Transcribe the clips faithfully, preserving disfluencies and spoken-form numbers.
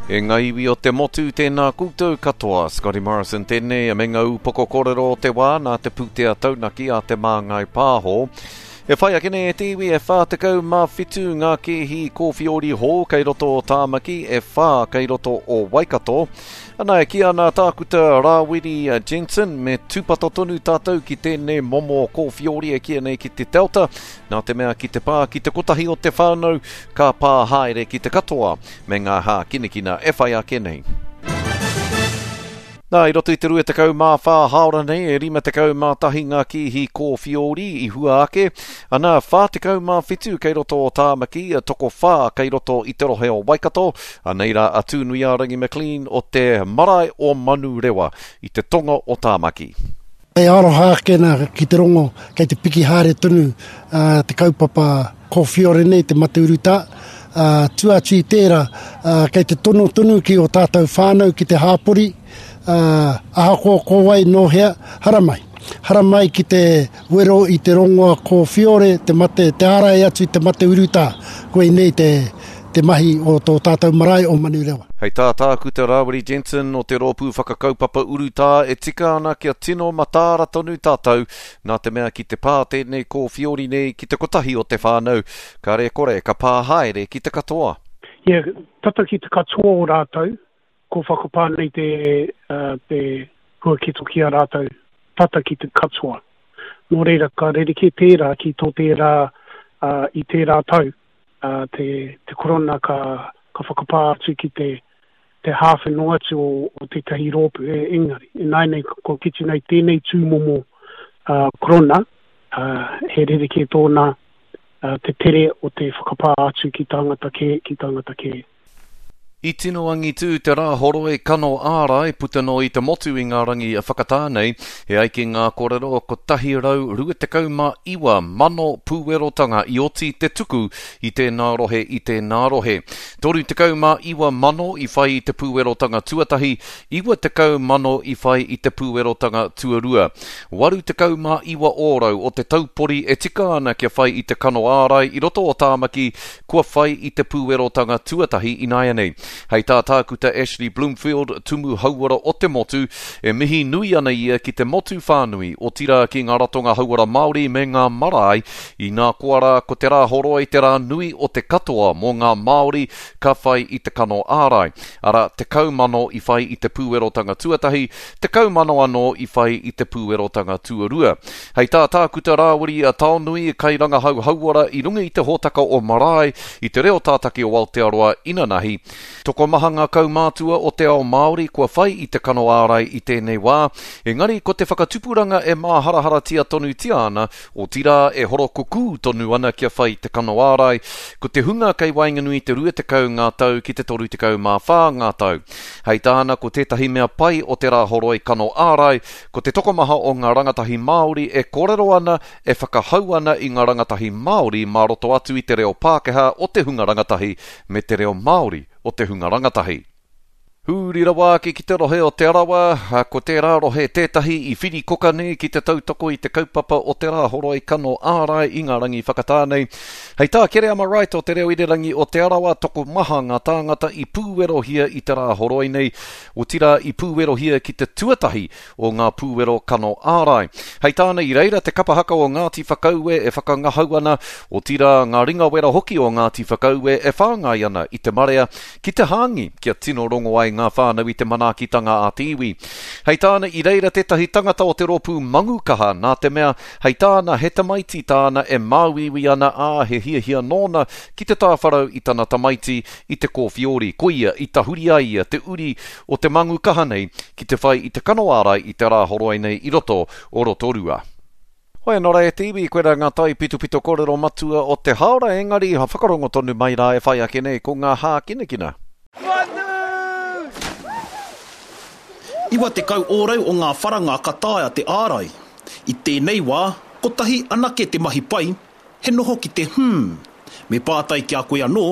E ngā iwi o te motu, tēnā koutou katoa. Scotty Morrison tēnei, me ngā upoko kōrero o te wā nā te pūtea taunaki a Te Māngai Pāho. E whai ake nei e te iwi e whā tekau mā whitu ngā kēhi kōwhiori hou kei roto o Tāmaki, e whā kei roto o Waikato. Ana, e kī ana Tākuta Rāwiri Jensen, me tūpato tonu tātou ki tēnei momo kōwhiori e kīia nei ki te Delta, nā te mea ki te pā ki te kotahi o te whānau, ka pā haere ki te katoa me ngā hākinakina e whai ake nei. Nā, i roto i te rua tekau mā whā hāora nei, e rima tekau mā tahi ngā kīhi kōwhiori i hua ake. Ana, whā tekau mā whitu kei roto o Tāmaki, tokowhā kei roto i te rohe o Waikato. Anei rā a Tūnuiārangi McLean o te marae o Manurewa i te tonga o Tāmaki. E aroha ake nā ki te rongo, kei te piki haere tonu, ā, te kaupapa kōwhiori nei, te mate urutā. Ā, tua atu i tērā, ā, kei te tono tonu ki o tātou whānau ki te hāpori, ā, ahakoa ko wai nō hea, haramai. Haramai ki te wero i te rongoa kōwhiore, te mate, te ārai atu i te mate urutā. Koinei te, te mahi o tō tātou marae o Manurewa. Hei tā Tākuta Rāwiri Jensen o te rōpū whakakaupapa urutā e tika ana kia tino mataara tonu tātou, nā te mea ki te pā tēnei kōwhiori nei ki te kotahi o te whānau, kāre kore ka pā haere ki te katoa. Ia, tata ki te katoa o rātou, ko whakapā nei te, uh, te huaketo ki a rātou, tata ki te katoa. Nō reira, ka rerekē tērā ki tō tērā, uh, i tērā tau, uh, te, te korona ka, ka whakapā atu ki te, te hāwhe noa atu o, o tētahi rōpū, e, engari. E nai nei, ko kite nei tēnei tūmomo, uh, korona, uh, he rerekē tōna, uh, te tere o te whakapā atu ki tāngata kē, ki tāngata kē. I tino angitū te rā horoi kano ārai puta noa i te motu i ngā rangi whakatā nei, e ai ki ngā kōrero kotahi rau rua tekau mā iwa mano pūwerotanga i oti te tuku i tēnā rohe i tēnā rohe. Toru tekau mā iwa mano i whai i te pūwerotanga tuatahi, iwa tekau mano i whai i te pūwerotanga tuarua. Waru tekau mā iwa ōrau o te taupori e tika ana kia whai i te kano ārai i roto o Tāmaki kua whai i te pūwerotanga tuatahi ināianei. Hei tā Tākuta Ashley Bloomfield, tumu hauora o te motu, e mihi nui ana ia ki te motu whānui, otirā ki ngā ratonga hauora Māori me ngā marae, inā koa rā ko te rā horoi te rā nui o te katoa mō ngā Māori ka whai i te kano ārai. Arā, tekau mano i whai i te pūwerotanga tuatahi, tekau mano anō i whai i te pūwerotanga tuarua. Hei tā Tākuta Rāwiri a Taonui, kairangahau hauora i runga i te hōtaka o Marae, i te reo tātaki o Aotearoa inanahi. Tokomaha ngā kaumātua o te ao Māori kua whai i te kano ārai i tēnei wā, engari ko te whakatupuranga e māharaharatia tonutia ana, otirā e horokukū tonu ana kia whai te kano ārai, ko te hunga kei waenganui te rua tekau ngā tau ki te toru tekau mā whā ngā tau. Hei tāna ko tētahi mea pai o te rā horoi kano ārai, ko te tokomaha o ngā rangatahi Māori e kōrero ana, e whakahau ana i ngā rangatahi Māori mā roto atu i te reo Pākehā o te hunga rangatahi me te reo Māori o te hunga rangatahi. Huri rawa ake ki te rohe o Te Arawa, ko tērā rohe tētahi i whirikoka nei ki te tautoko i te kaupapa o te rā horoi kano ārai i ngā rangi whakatā nei. Hei tā Kereama Wright o te reo irirangi o Te Arawa, tokomaha ngā tāngata i pūwerohia i te rā horoi nei, otirā i pūwerohia ki te tuatahi o ngā pūwero kano ārai. Hei tāna i reira te kapa haka o Ngāti Whakaue e whakangahau ana, otirā ngā ringawera hoki o Ngāti Whakaue e whāngai ana i te marea ki te hāngi kia tino rongo ai ngā whānau i te manaakitanga a te iwi. Hei tāna i reira tētahi tangata o te rōpū Mangukaha, nā te mea, hei tāna he tamaiti tāna e māuiui ana ā he hiahia nōna ki te tāwharau i tana tamaiti i te kōwhiori. Koia i tahuri ai ia te uri o te Mangukaha nei ki te whai i te kano ārai i te rā horoi nei i roto o Rotorua. Hoi anō rā e te iwi, koirā ngā tai pitopito kōrero matua o te haora, engari whakarongo tonu mai rā e whai ake nei ko ngā hākinakina. Iwa tekau ōrau o ngā wharanga ka taea te ārai. I tēnei wā, kotahi anake te mahi pai, he noho ki te hmm. Me pātai ki a koe anō,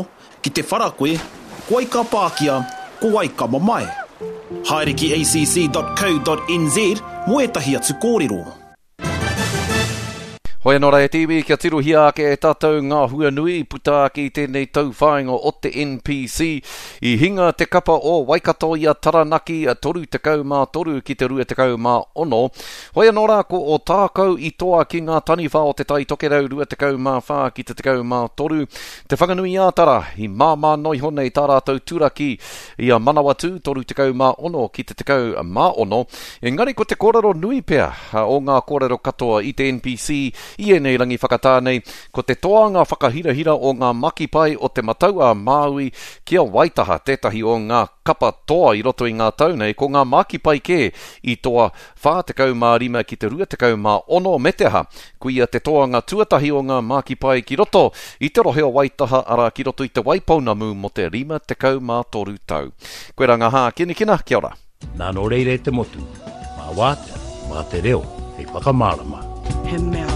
ki te whara koe, ko wai ka pākia, ko wai ka mamae. Haere ki A C C dot co dot N Z mō ētahi atu kōrero. Hoi anō rā e te iwi, kia tirohia ake e tātou ngā hua nui i puta ake i tēnei tauwhāinga o te N P C. I hinga te kapa o Waikato i a Taranaki toru tekau mā toru ki te rua tekau mā ono. Hoi anō rā ko Ōtākou i toa ki ngā taniwha o Te Tai Tokerau rua tekau mā whā ki te tekau mā toru. Te Whanganui-ā-Tara i māmā noa iho nei tā rātou turaki i a Manawatū toru tekau mā ono ki te tekau mā ono. Engari ko te kōrero nui pea o ngā kōrero katoa i te N P C i ēnei rangi whakatā nei, ko te toanga whakahirahira o ngā makipai o Te Matau-a-Māui ki a Waitaha, tētahi o ngā kapa toa i roto i ngā tau nei, ko ngā makipai kē i toa whā tekau mā rima ki te rua tekau mā ono, me te aha, koia te toanga tuatahi o ngā makipai ki roto i te rohe o Waitaha, arā ki roto i Te Waipounamu mō te rima tekau mā toru tau. Koirā ngā hākinakina, kia ora. Nā nō reira e te motu, mā wātea, mā te reo, hei whakamārama. He mea